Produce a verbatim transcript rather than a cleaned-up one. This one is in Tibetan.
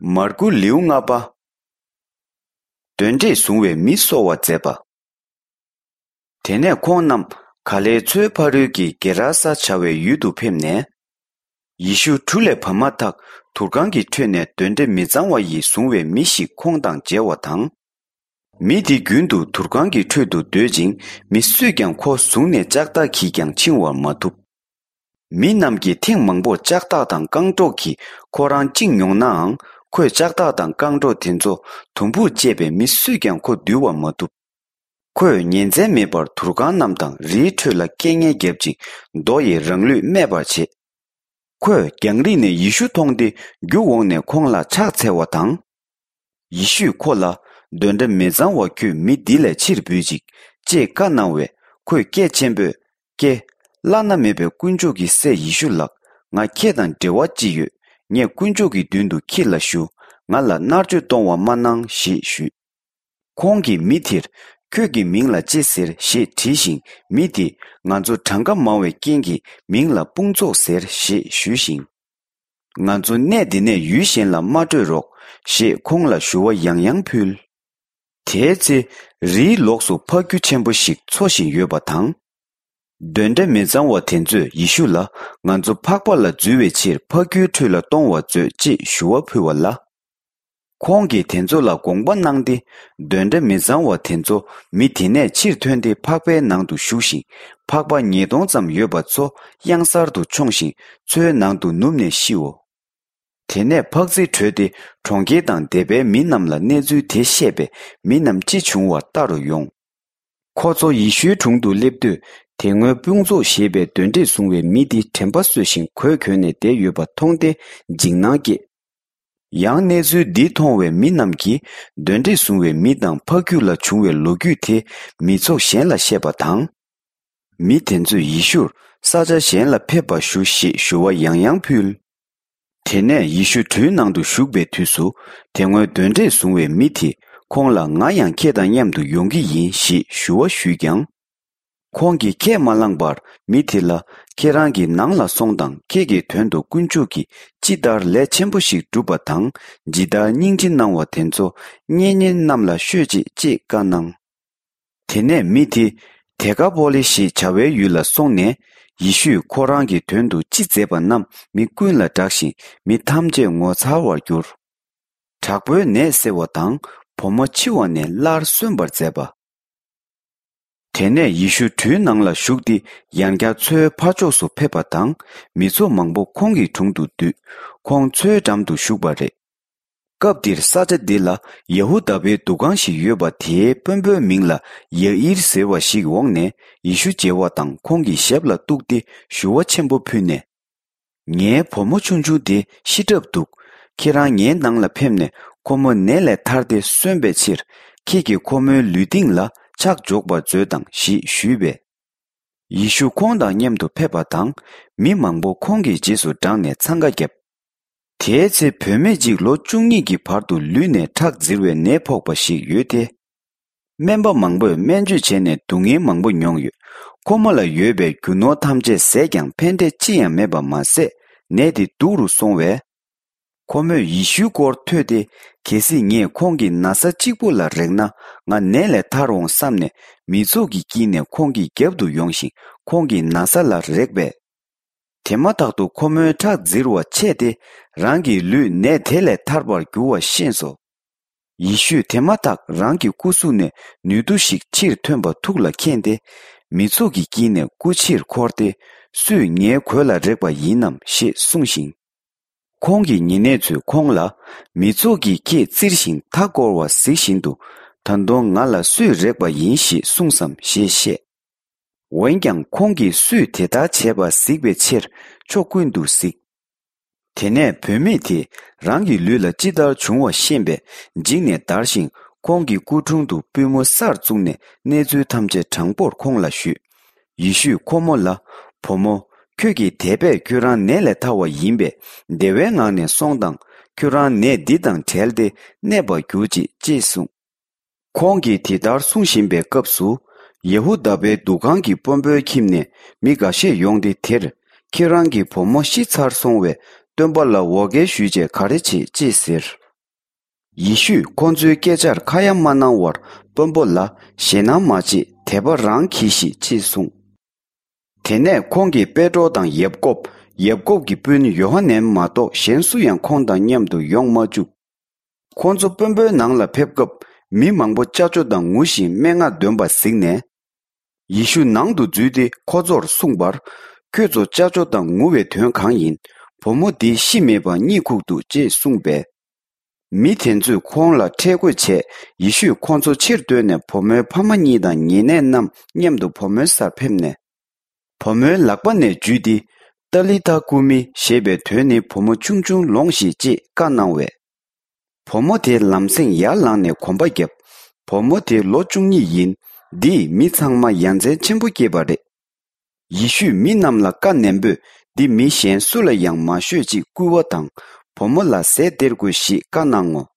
མར་ཁུ་ལེའུ་ལྔ་པ། གདོན་འདྲེས་བཟུང་བའི་མི་གསོ་བར་མཛད་པ། དེ་ནས་ཁོང་རྣམས་ག་ལེའི་མཚོའི་ཕ་རོལ་གྱི་གེ་ར་ས་བྱ་བའི་ཡུལ་དུ་ཕེབས་ནས། ཡེ་ཤུ་གྲུ་ལས་བབས་མ་ཐག་དུར་ཁང་གི་ཁྲོད་ནས་གདོན་འདྲེ་མི་གཙང་བ་ཡིས་བཟུང་བའི་མི་ཞིག་ཁོང་དང་མཇལ་བ་དང་། མི་དེ་རྒྱུན་དུ་དུར་ཁང་གི་ཁྲོད་དུ་སྡོད་ཅིང་མི་སུས་ཀྱང་ཁོ་བཟུང་ནས་ལྕགས་ཐག་གིས་ཀྱང་འཆིང་བར་མ་ཐུབ། མི་རྣམས་ཀྱིས་ཐེངས་མང་པོར་ལྕགས་ཐག་དང་རྐང་སྒྲོག་གིས་ཁོ་རང་བཅིངས་མྱོང་ནའང་ཁོས་ལྕགས་ཐག་དང་རྐང་སྒྲོག་དེ་ཚོ་དུམ་བུར་བཅད་པས་མི་སུས་ཀྱང་ཁོ་འདུལ་བར་མ་ཐུབ། ཁོས་ཉིན་མཚན་མེད་པར་དུར་ཁང་རྣམས་དང་རིའི་ཁྲོད་ལ་སྐད་ངན་བརྒྱབ་ཅིང་རྡོ་ཡིས་རང་ལུས་སྨད་པར་བྱེད། ཁོས་རྒྱང་རིང་ནས་ཡེ་ཤུ་མཐོང་སྟེ་རྒྱུགས་འོངས་ནས་ཁོང་ལ་ཕྱག་འཚལ་བ་དང་། ཡེ་ཤུས་ཁོ་ལ། གདོན་འདྲེ་མི་གཙང་བ་ཁྱོད་མི་འདི་ལས་ཕྱིར་བུད་ཅིག་ཅེས་བཀའ་གནང་བས་ཁོས་སྐད་ཆེན་པོས། ཀྱེ། བླ་ན་མེད་པའི་དཀོན་མཆོག་གི་སྲས་ཡེ་ཤུ་ལགས། ང་ཁྱེད་དང་འབྲེལ་བ་ཅི་ཡོད། ངས་དཀོན་མཆོག་གི་མདུན་དུ་ཁྱེད་ལ་ཞུ། ང་ལ་མནར་གཅོད་གཏོང་བ་མ་གནང་ཞེས་ཞུས། ཁོང་གིས་མི་དེར། ཁྱོད་ཀྱི་མིང་ལ་ཅི་ཟེར་ཞེས་དྲིས་ཤིང་མི་དེས་ང་ཚོ་གྲངས་ཀ་མང་བའི་རྐྱེན་གྱིས་མིང་ལ་དཔུང་ཚོགས་ཟེར་ཞེས་ཞུས་ཤིང་། ང་ཚོ་གནས་འདི་ནས་ཡུལ་གཞན་ལ་མ་སྤྲོད་རོགས་ཞེས་ཁོང་ལ་ཞུ་བ་ཡང་ཡང་ཕུལ། དེའི་ཚེ་རིའི་ལོགས་སུ་ཕག་ཁྱུ་ཆེན་པོ་ཞིག་འཚོ་བཞིན་ཡོད་པ་དང་། གདོན་འདྲེ་མི་གཙང་བ་དེ་ཚོས་ཡེ་ཤུ་ལ་ང་ཚོ་ཕག་པ་ལ་འཛུལ་བའི་ཕྱིར་ཕག་ཁྱུའི་ཁྲོད་ལ་གཏོང་བར་མཛོད་ཅེས་ཞུ་བ་ཕུལ་བ་ལ། ཁོང་གིས་དེ་ཚོ་ལ་དགོངས་པ་གནང་སྟེ། གདོན་འདྲེ་མི་གཙང་བ་དེ་ཚོ་མི་དེ་ནས་ཕྱིར་ཐོན་ཏེ་ཕག་པའི་ནང་དུ་ཞུགས་ཤིང་ཕག་པ་ཉིས་སྟོང་ཙམ་ཡོད་པ་ཚོ་གཡང་གཟར་དུ་མཆོངས་ཤིང་མཚོའི་ནང་དུ་ནུབ་ནས་ཤིའོ། དེ་ནས་ཕག་རྫི་བྲོས་ཏེ་གྲོང་ཁྱེར་དང་སྡེ་པའི་མི་རྣམས་ལ་གནས་ཚུལ་དེ་བཤད་པས་མི་རྣམས་ཅི་བྱུང་བར་ལྟ་རུ་ཡོང་། ཁོ་ཚོ་ཡེ་ཤུའི་དྲུང་དུ་སླེབས་དུས་དེ་སྔོན་དཔུང་ཚོགས་ཞེས་པའི་གདོན་འདྲེས་བཟུང་བའི་མི་དེ་དྲན་པ་གསོས་ཤིང་གོས་གྱོན་ནས་བསྡད་ཡོད་པ་མཐོང་སྟེ་འཇིགས་སྣང་སྐྱེས། ཡང་གནས་ཚུལ་འདི་མཐོང་བའི་མི་རྣམས་ཀྱིས་གདོན་འདྲེས་བཟུང་བའི་མི་དང་ཕ་ཁྱུ་ལ་བྱུང་བའི་ལོ་རྒྱུས་དེ་མི་ཚོགས་གཞན་ལ་བཤད་པ་དང་། མི་དེ་ཚོས་ཡེ་ཤུར་ས་ཆ་གཞན་ལ་ཕེབས་པར་ཞུ་ཞེས་ཞུ་བ་ཡང་ཡང་ཕུལ། དེ་ནས་ཡེ་ཤུ་གྲུའི་ནང་དུ་ཞུགས་པའི་དུས་སུ་དེ་སྔོན་གདོན་འདྲེས་བཟུང་བའི་མི་དེས་ཁོང་ལ་ང་ཡང་ཁྱེད་དང་མཉམ་དུ་ཡོང་གི་ཡིན་ཞེས་ཞུ་བ་ཞུས་ཀྱང་། ཁོང་གིས་ཁས་མ་བླངས་པར་མི་དེ་ལ་ཁྱེད་རང་གི་ནང་ལ་སོང་དང་ཁྱེད་ཀྱི་དོན་དུ་དཀོན་མཆོག་གིས་ཅི་ལྟར་ལས་ཆེན་པོ་ཞིག་བསྒྲུབས་པ་དང་ཇི་ལྟར་སྙིང་རྗེ་གནང་བ་དེ་ཚོ་གཉེན་ཉེ་རྣམས་ལ་ཤོད་ཅིག་ཅེས་བཀའ་གནང་། དེ་ནས་མི་དེ་དེ་ཀ་པོ་ལི་ཞེས་བྱ་བའི་ཡུལ་ལ་སོང་ནས་ཡེ་ཤུས་ཁོ་རང་གི་དོན་དུ་ཅི་མཛད་པ་རྣམས་མི་ཀུན་ལ་བསྒྲགས་ཤིང་མི་ཐམས་ཅད་ངོ་མཚར་བར་གྱུར། དྲག་པོའི་ནད་སེལ་བ་དང་བུ་མོ་འཆི་བ་ནས་སླར་གསོན་པར་མཛད་པ། དེ་ནས་ཡེ་ཤུ་གྲུའི་ནང་ལ་ཞུགས་ཏེ་ཡང་བསྐྱར་མཚོའི་ཕར་ཕྱོགས་སུ་ཕེབས་པ་དང་མི་ཚོགས་མང་པོ་ཁོང་གི་དྲུང་དུ་འདུས། ཁོང་མཚོའི་འགྲམ་དུ་བཞུགས་པ་རེད། སྐབས་འདིར་ས་ཆ་འདི་ལ་ཡ་ཧུ་དཱ་པའི་འདུ་ཁང་ཞིག་ཡོད་པ་དེའི་དཔོན་པོའི་མིང་ལ་ཡ་ཨིར་ཟེར་བ་ཞིག་འོངས་ནས་ཡེ་ཤུ་མཇལ་བ་དང་ཁོང་གི་ཞབས་ལ་གཏུགས་ཏེ་ཞུ་བ་ཆེན་པོ་ཕུལ་ནས། ངའི་བུ་མོ་ཆུང་ཆུང་དེ་ཤི་གྲབས་འདུག་ཁྱེད་རང་ངའི་ནང་ལ་ཕེབས་ནས་ཁོ་མོ་ནད་ལས་ཐར་ཏེ་གསོན་པའི་ཕྱིར་ཁྱེད་ཀྱིས་ཁོ་མོའི་ལུས་སྟེང་ལ་ཕྱག་འཇོག་པར་མཛོད་དང་ཞེས་ཞུས་པས། ཡེ་ཤུ་ཁོང་དང་མཉམ་དུ་ཕེབས་པ་དང་མི་མང་པོ་ཁོང་གི་རྗེས་སུ་འབྲངས་ནས་འཚང་ཁ་བརྒྱབ། དེའི་ཚེ་བུད་མེད་ཅིག་ལོ་བཅུ་གཉིས་ཀྱི་བར་དུ་ལུས་ནས་ཁྲག་འཛིར་བའི་ནད་ཕོག་པ་ཞིག་ཡོད་དེ། སྨན་པ་མང་པོས་སྨན་བཅོས་བྱས་ནས་སྡུག་བསྔལ་མང་པོ་མྱོང་ཡོད། ཁོ་མོ་ལ་ཡོད་པའི་རྒྱུ་ནོར་ཐམས་ཅད་ཟད་ཀྱང་ཕན་འབྲས་ཅི་ཡང་མེད་པ་མ་ཟད་ནད་དེ་སྡུག་རུ་སོང་བས། ཁོ་མོས་ཡེ་ཤུའི་སྐོར་ཐོས་ཏེ་གལ་སྲིད་ངས་ཁོང་གི་ན་བཟའ་གཅིག་པུ་ལ་རེག་ན་ང་ནད་ལས་ཐར་འོང་བསམ་ནས་མི་ཚོགས་ཀྱི་དཀྱིལ་ནས་ཁོང་གི་རྒྱབ་ཏུ་ཡོང་ཞིང་ཁོང་གི་ན་བཟའ་ལ་རེག་པས། དེ་མ་ཐག་ཏུ་ཁོ་མོའི་ཁྲག་འཛིར་བ་ཆད་དེ་རང་གི་ལུས་ནད་དེ་ལས་ཐར་པར་འགྱུར་བ་ཤེས་སོ། ཡེ་ཤུས་དེ་མ་ཐག་རང་གི་སྐུ་གཟུགས་ནས་ནུས་མཐུ་ཞིག་ཕྱིར་ཐོན་པ་ཐུགས་ལ་མཁྱེན་ཏེ། མི་ཚོགས་ཀྱི་དཀྱིལ་ནས་སྐུ་ཕྱིར་འཁོར་ཏེ། སུས་ངའི་གོས་ལ་རེག་པ་ཡིན་ནམ་ཞེས་གསུངས་ཤིང་། ཁོང་གི་ཉེ་གནས་ཚོས་ཁོང་ལ། མི་ཚོགས་ཀྱིས་ཁྱེད་བཙིར་ཞིང་མཐའ་བསྐོར་བ་གཟིགས་བཞིན་དུ། ད་དུང་ང་ལ་སུས་རེག་པ་ཡིན་ཞེས་གསུངས་སམ་ཞེས་བཤད། འོན་ཀྱང་ཁོང་གིས་སུས་དེ་ལྟར་བྱས་པ་གཟིགས་པའི་ཕྱིར་ཕྱོགས་ཀུན་ཏུ་གཟིགས། དེ་ནས་བུད་མེད་དེས་རང་གི་ལུས་ལ་ཅི་ལྟར་བྱུང་བ་ཤེས་པས་འཇིགས་ནས་འདར་ཞིང་ཁོང་གི་སྐུ་དྲུང་དུ་པུས་མོ་སར་བཙུགས་ནས་གནས་ཚུལ་ཐམས་ཅད་དྲང་པོར་ཁོང་ལ་ཞུས། ཡེ་ཤུས་ཁོ་མོ་ལ། བུ་མོ། ཁྱོད་ཀྱིས་དད་པས་ཁྱོད་རང་ནད་ལས་ཐར་བ་ཡིན་པས་བདེ་བའི་ངང་ནས་སོང་དང་ཁྱོད་རང་ནད་འདི་དང་བྲལ་ཏེ་གནས་པར་གྱུར་ཅིག་ཅེས་གསུངས། ཁོང་གིས་དེ་ལྟར་གསུང་བཞིན་པའི་སྐབས་སུ། ཡེ་ཧུ་དཱ་པའི་འདུ་ཁང་གི་དཔོན་པོའི་ཁྱིམ་ནས་མི་འགའ་ཤས་ཡོང་སྟེ་དེར། ཁྱེད་རང་གི་བུ་མོ་ཤི་ཚར་སོང་བས་སྟོན་པ་ལ་འོ་བརྒྱལ་ཞུས་བྱས་ག་རེ་བྱེད་ཅེས་ཟེར། ཡེ་ཤུས་ཁོ་ཚོའི་སྐད་ཆར་ཁ་ཡ་མ་གནང་བར་དཔོན་པོ་ལ་ཞེད་སྣང་མ་བྱེད། དད་པ་རང་གྱིས་ཤིག་ཅེས་གསུངས། དེ་ནས་ཁོང་གིས་པེ་ཏྲོ་དང་ཡབ་ཀོབ། ཡབ་ཀོབ་ཀྱི་སྤུན་ཡོ་ཧ་ནན་མ་གཏོགས་གཞན་སུ་ཡང་ཁོང་དང་མཉམ་དུ་ཡོང་མ་བཅུག། ཁོ་ཚོ་དཔོན་པོའི་ནང་ལ་ཕེབས་སྐབས་མི་མང་པོ་ཅ་ཅོ་དང་ངུ་ཞིང་སྨྲེ་སྔགས་འདོན་པ་གཟིགས་ནས། ཡེ་ཤུ་ནང་དུ་འཛུལ་ཏེ་ཁོ་ཚོར་གསུངས་པར། ཁྱོད་ཚོ་ཅ་ཅོ་དང་ངུ་བའི་དོན་གང་ཡིན། བུ་མོ་འདི་ཤི་མེད་པར་གཉིད་ཁུག་འདུག་ཅེས་གསུངས་པས། མི་དེ་ཚོས་ཁོང་ལ་ཁྲེལ་དགོད་བྱས། ཡེ་ཤུས་ཁོང་ཚོ་ཕྱིར་བཏོན་ནས་བུ་མོའི་ཕ་མ་གཉིས་དང་ཉེ་གནས་རྣམས་མཉམ་དུ་བུ་མོའི་སར་ཕེབས་ནས། བུ་མོའི་ལག་པ་ནས་འཇུས་ཏེ། ཏཱ་ལི་ཐ་ཀུ་མི་ཞེས་པའི་དོན་ནི་བུ་མོ་ཆུང་ཆུང་ལོངས་ཤིག་ཅེས་བཀའ་གནང་བས། བུ་མོ་དེ་ལམ་སེང་ཡར་ལངས་ནས་གོམ་པ་བརྒྱབ། བུ་མོ་དེ་ལོ་བཅུ་གཉིས་ཡིན། འདིས་མི་ཚང་མ་ཡ་མཚན་ཆེན་པོ་སྐྱེས་པ་རེད། ཡེ་ཤུས་མི་རྣམས་ལ་བཀའ་ནན་པོས། འདི་མི་གཞན་སུ་ལ་ཡང་མ་ཤོད་ཅིག་སྐུལ་བ་དང་། བུ་མོ་ལ་ཟས་སྟེར་དགོས་ཞེས་བཀའ་གནང་ངོ་